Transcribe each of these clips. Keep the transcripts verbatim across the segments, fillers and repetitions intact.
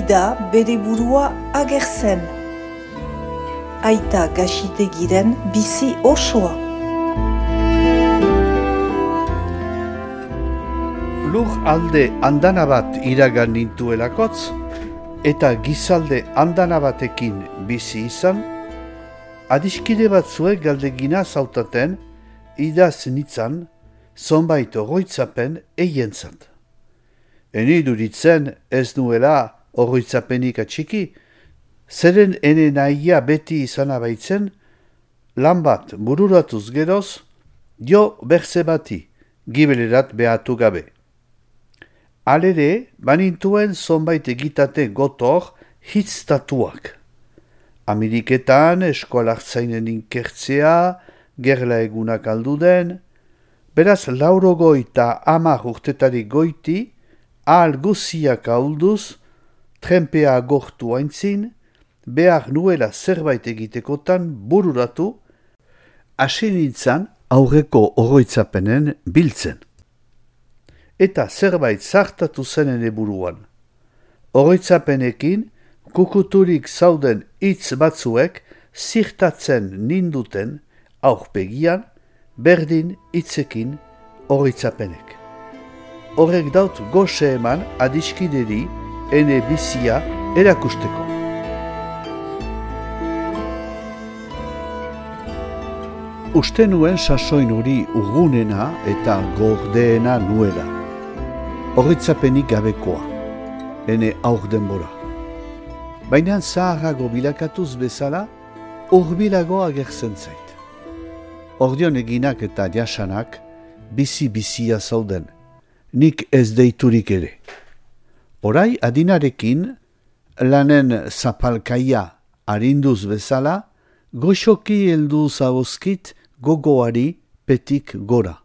ida bere burua agertzen. Aita Gaxitegiren bizi osoa. Lur alde andana bat iragan nintuelakotz, eta gizalde andana batekin bizi izan, adiskide batzuek galdegina zautaten, idaz nitzan, zonbait oroitzapen eientzat. Eni duritzen ez nuela oroitzapenik atxiki, zeren ene nahia beti izan abaitzen, lan bat bururatuz geroz, jo berze bati, gibelerat behatu gabe. Alere, banintuen zonbait egitate gotor hitztatuak. Ameriketan eskolak zainen inkertzea, gerla egunak alduden, beraz laurogoi eta hamar urtetarik goiti, ahal guziak ahulduz, trenpea agortu aintzin, behar nuela zerbait egitekotan bururatu, hasi nintzan aurreko oroitzapenen biltzen. Eta zerbait zartatu zenen eburuan. Oroitzapenekin, kukuturik zauden hitz batzuek zirtatzen ninduten aurpegian, berdin hitzekin oroitzapenek. Horrek daut goxe eman adiskideri ene bizia erakusteko. Uste nuen sasoin hori urgunena eta gordeena nuela. Oroitzapenik gabekoa, ene aur denbora. Baina zaharrago bilakatuz bezala, urbilago agertzen zait. Ordion eginak eta jasanak, bizi-bizia zauden, nik ez deiturik ere. Orai adinarekin, lanen zapalkaia arinduz bezala, goxoki heldu zauzkit gogoari petik gora.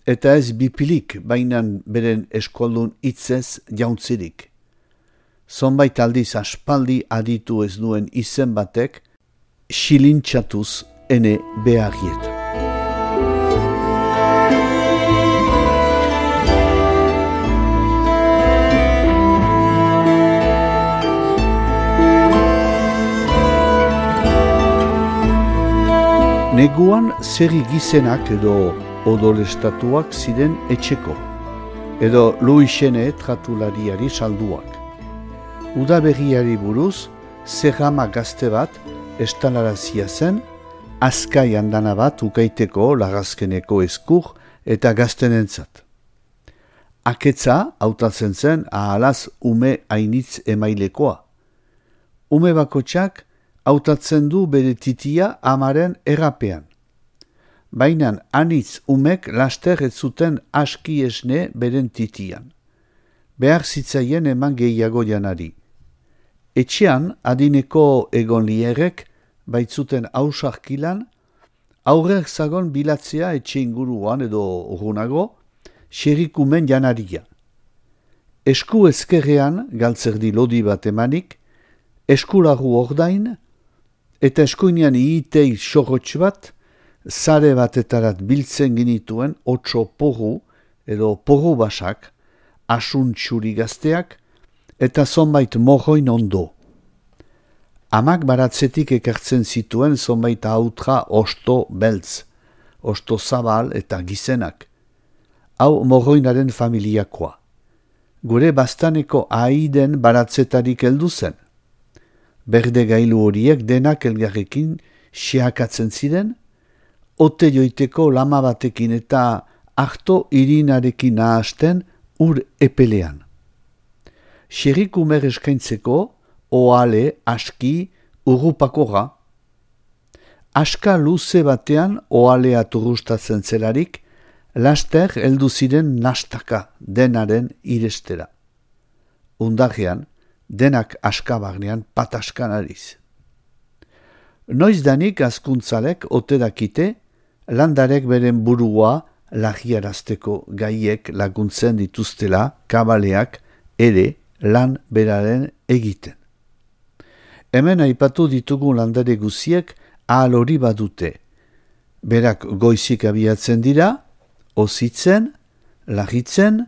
Eta ez bipilik bainan beren eskoldun hitzez jauntzirik. Zonbait aldiz aspaldi aditu ez duen izen batek, xilintxatuz ene beharrieta. Neguan zerri gizenak edo odolestatuak ziren etxeko, edo Luisene tratulariari salduak. Udaberriari buruz, zerrama gazte bat estalarazia zen, azkai andana bat ukaiteko lagazkeneko eskur eta gaztenentzat. Aketza hautatzen zen ahalaz ume hainitz emailekoa. Ume bakotxak hautatzen du bere titia amaren errapean. Bainan anitz umek laster ez zuten aski esne beren titian. Behar zitzaien eman gehiago janari. Etxean adineko egon lierek baitzuten hausarkilan, aurrer zagon bilatzea etxe inguruan edo urrunago, xerikumen janaria. Esku ezkerrean galtzerdi lodi bat emanik, eskularu ordain, eta eskuinean iitei sorrotx bat, zare batetarat biltzen ginituen otso porru edo porru basak, asun txuri gazteak, eta zonbait morroin ondo. Amak baratzetik ekartzen zituen zonbait hautra osto beltz, osto zabal eta gizenak. Hau morroinaren familiakoa. Gure bastaneko aiden baratzetarik heldu zen. Berde gailu horiek denak elgarrekin xeakatzen ziren, ote joiteko lama batekin eta arto irinarekin nahasten ur epelean. Xerikumer eskaintzeko, oale, aski, urrupakora. Aska luze batean oalea turrustatzen zelarik, laster heldu ziren nastaka denaren irestera. Undarrean, denak askabarnean pataskan ariz. Noiz danik azkuntzalek ote dakite, landarek beren burua lagiarazteko gaiek laguntzen dituztela kabaleak ere lan beraren egiten. Hemen aipatu ditugun landare guziek ahal hori badute. Berak goizik abiatzen dira, ozitzen, lagitzen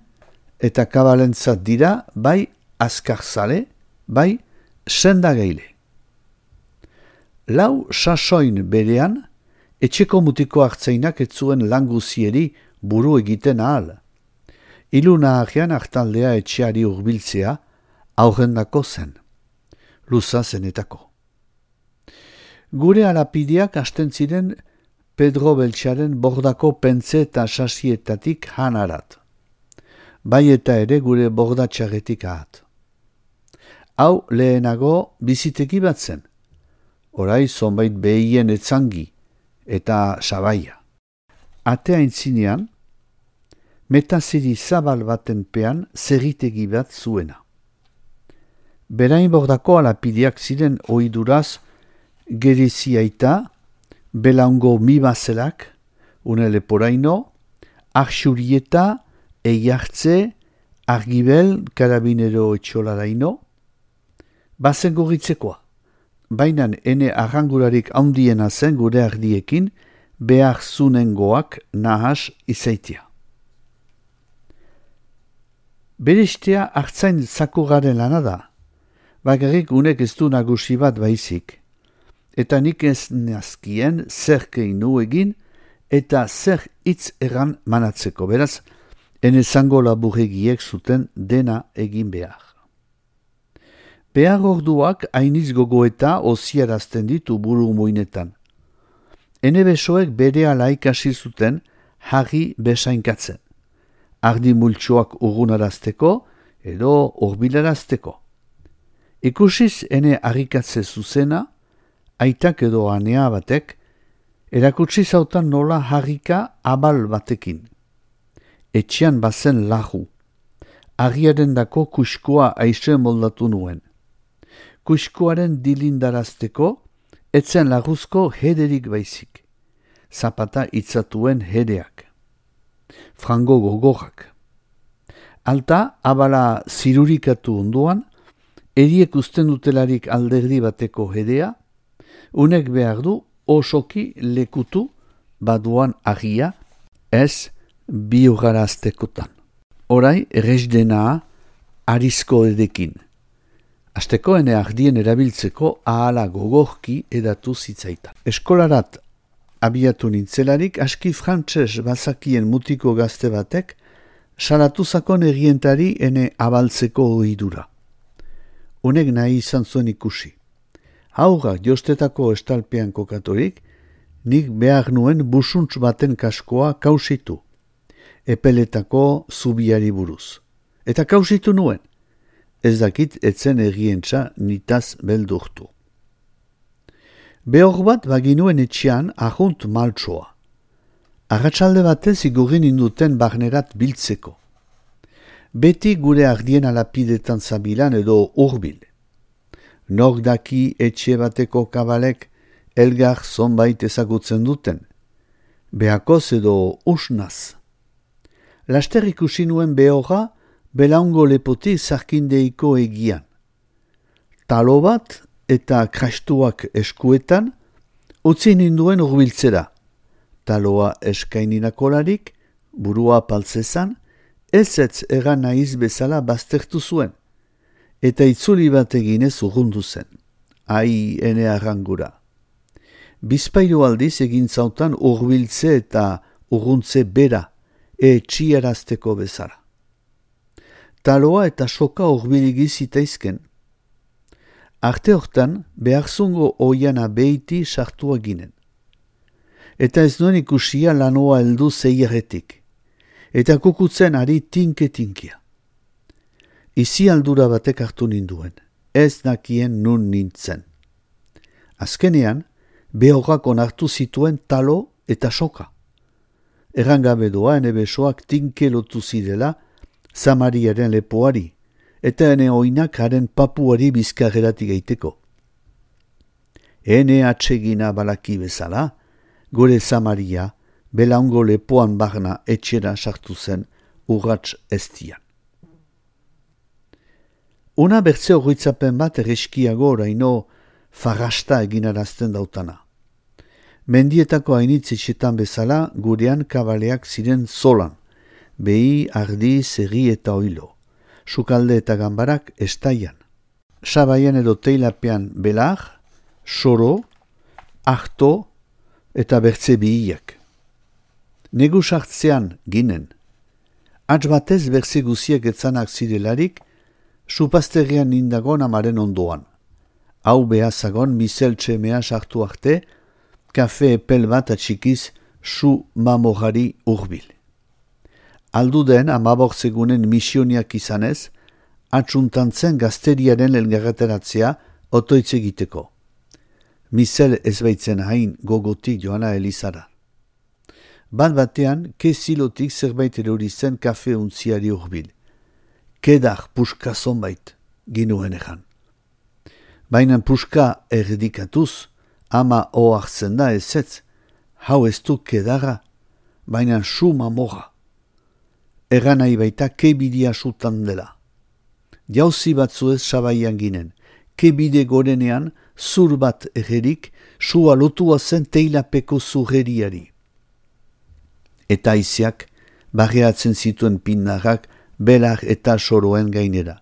eta kabalentzat dira bai azkarzale, bai sendagaile. Lau sasoin berean, etxeko mutiko hartzainak ez zuen languzieri buru egiten ahal. Iluna ahian hartaldea etxeari hurbiltzea aurrendako zen, luza zenetako. Gure alapideak hasten ziren Pedro Beltxaren bordako pentze eta sasietatik hanarat. Bai eta ere gure bordatxarretik ahat. Hau lehenago biziteki bat zen, orai zonbait behien etzangi eta sabaia. Atea intzinean, metazeri zabal baten pean zerritegi bat zuena. Berain bordako alapideak ziren oiduraz Geriziaita, Belaungo mibazelak, une leporaino, Arxurieta, Eiartze, Argibel, Karabinero etxolaraino, bazen gorritzekoa. Bainan ene arrangurarik handiena zen gure ardiekin, behar zunengoak nahas izaitia. Berestea hartzain zakuraren lana da, bakarrik unek ez du nagusi bat baizik, eta nik ez nazkien zer keinu egin eta zer hitz erran manatzeko, beraz, ene zango laburregiek zuten dena egin behar. Behar orduak hainiz gogoeta oziarazten ditu buru muinetan. Ene besoek bere ala ikasi zuten jarri besainkatzen. Ardi multsoak urgunarazteko edo urbilarazteko. Ikusiz ene harrikatze zuzena, aitak edo anea batek, erakutsi zautan nola harrika abal batekin. Etxean bazen lahu. Argiaren dako kuskoa aize moldatu nuen. Kuskoaren dilindarazteko, etzen laguzko hederik baizik. Zapata itzatuen hedeak. Frango gogorrak. Alta, abala zirurikatu onduan, eriek usten dutelarik alderdi bateko hedea, unek behar du osoki lekutu baduan argia, ez biogaraztekotan. Orai, erresdena arizko edekin. Azteko ene ardien erabiltzeko ahala gogorki edatu zitzaitan. Eskolarat abiatu nintzelarik, aski frantses bazakien mutiko gazte batek, salatu zakon errientari ene abaltzeko ohidura. Unek nahi izan zuen ikusi. Haurrak jostetako estalpean kokatorik, nik behar nuen busuntz baten kaskoa kausitu, epeletako zubiari buruz. Eta kausitu nuen, ez dakit etzen errientza nitaz beldurtu. Behor bat baginuen etxean ahunt maltsoa. Arratsalde batez igurin induten barnerat biltzeko. Beti gure ardien alapidetan zabilan edo urbil. Nor daki etxe bateko kabalek elgar zonbait ezagutzen duten. Behakoz edo usnaz. Laster ikusi nuen behorra Belaungo lepotik zarkindeiko egian. Talo bat eta krastuak eskuetan, utzi ninduen urbiltzera. Taloa eskaininakolarik, burua paltzezan, ez ez egan naiz bezala baztertu zuen, eta itzuli bat eginez urrundu zen. Ai, ene arrangura. Bizpairu aldiz egin zautan urbiltze eta urruntze bera, e txiarazteko bezala. Taloa eta soka urbiligi zitaizken. Arte hortan, beharzungo oiana behiti sartua ginen. Eta ez nuen ikusia lanoa heldu zeierretik. Eta kukutzen ari tinke-tinkia. Izi aldura batek hartu ninduen, ez nakien nun nintzen. Azkenean, behorrak onartu zituen talo eta soka. Errangabe doa ene besoak tinke lotu zidela Zamariaren lepoari, eta ene oinak haren papuari bizkarreratik eiteko. Ene atsegina balaki bezala, gure Zamaria, Belaungo lepoan barna etxera sartu zen urrats eztian. Una bertze horritzapen bat erreskiago oraino farrasta eginarazten dautana. Mendietako hainitz etxetan bezala gurean kabaleak ziren zolan, behi, ardi, zerri eta oilo. sukalde eta ganbarak estaian. Sabaian edo teilapean belar, soro, arto eta bertze bihiak. Negu sartzean ginen. Atz batez bertze guziek etzanak zirelarik, supazterrian nindagon amaren ondoan. Hau behazagon miseltxe mea sartu arte, kafe epel bat atxikiz su mamorari urbil. Alduden amabortzegunen misioniak izanez, atxuntantzen gazteriaren elgarreteratzea otoitz egiteko. Misel ez baitzen hain gogotik joana Elizara. Bat batean, ke zilotik zerbait erori zen kafe untziari urbil. Kedar puska zonbait, ginuen ejan. Baina puska erdikatuz, ama ohartzen da ezetz, hau ez du kedara, baina su mamora. Egan nahi baita kebidia sutan dela. Jauzi batzu ez sabaian ginen, kebide gorenean zur bat egerik sua lotua zen teilapeko zurreriari. Eta aiziak barreatzen zituen pinnarrak belar eta soroen gainera.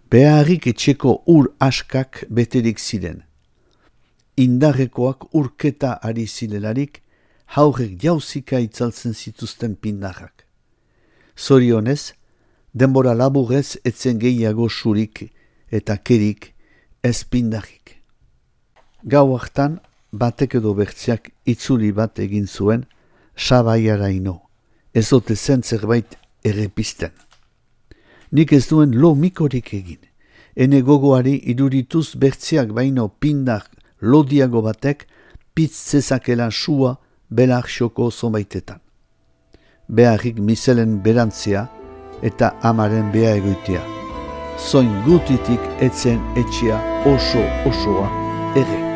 Beharrik etxeko ur askak beterik ziren. Indarrekoak urketa ari zilelarik, haurek jauzika itzaltzen zituzten pinnarrak. Zorionez, denbora laburrez etzen gehiago surik eta kerik ez pindarrik. Gau hartan, batek edo bertziak itzuli bat egin zuen, sabaiaraino, ez ote zen zerbait errepisten. Nik ez duen lo mikorik egin, ene gogoari idurituz bertziak baino pindar lodiago batek pitz zezakela sua belar xoko zonbaitetan. Beharrik miselen berantzia eta amaren beha egoitea. Zoin gutitik etzen etxea oso osoa ere.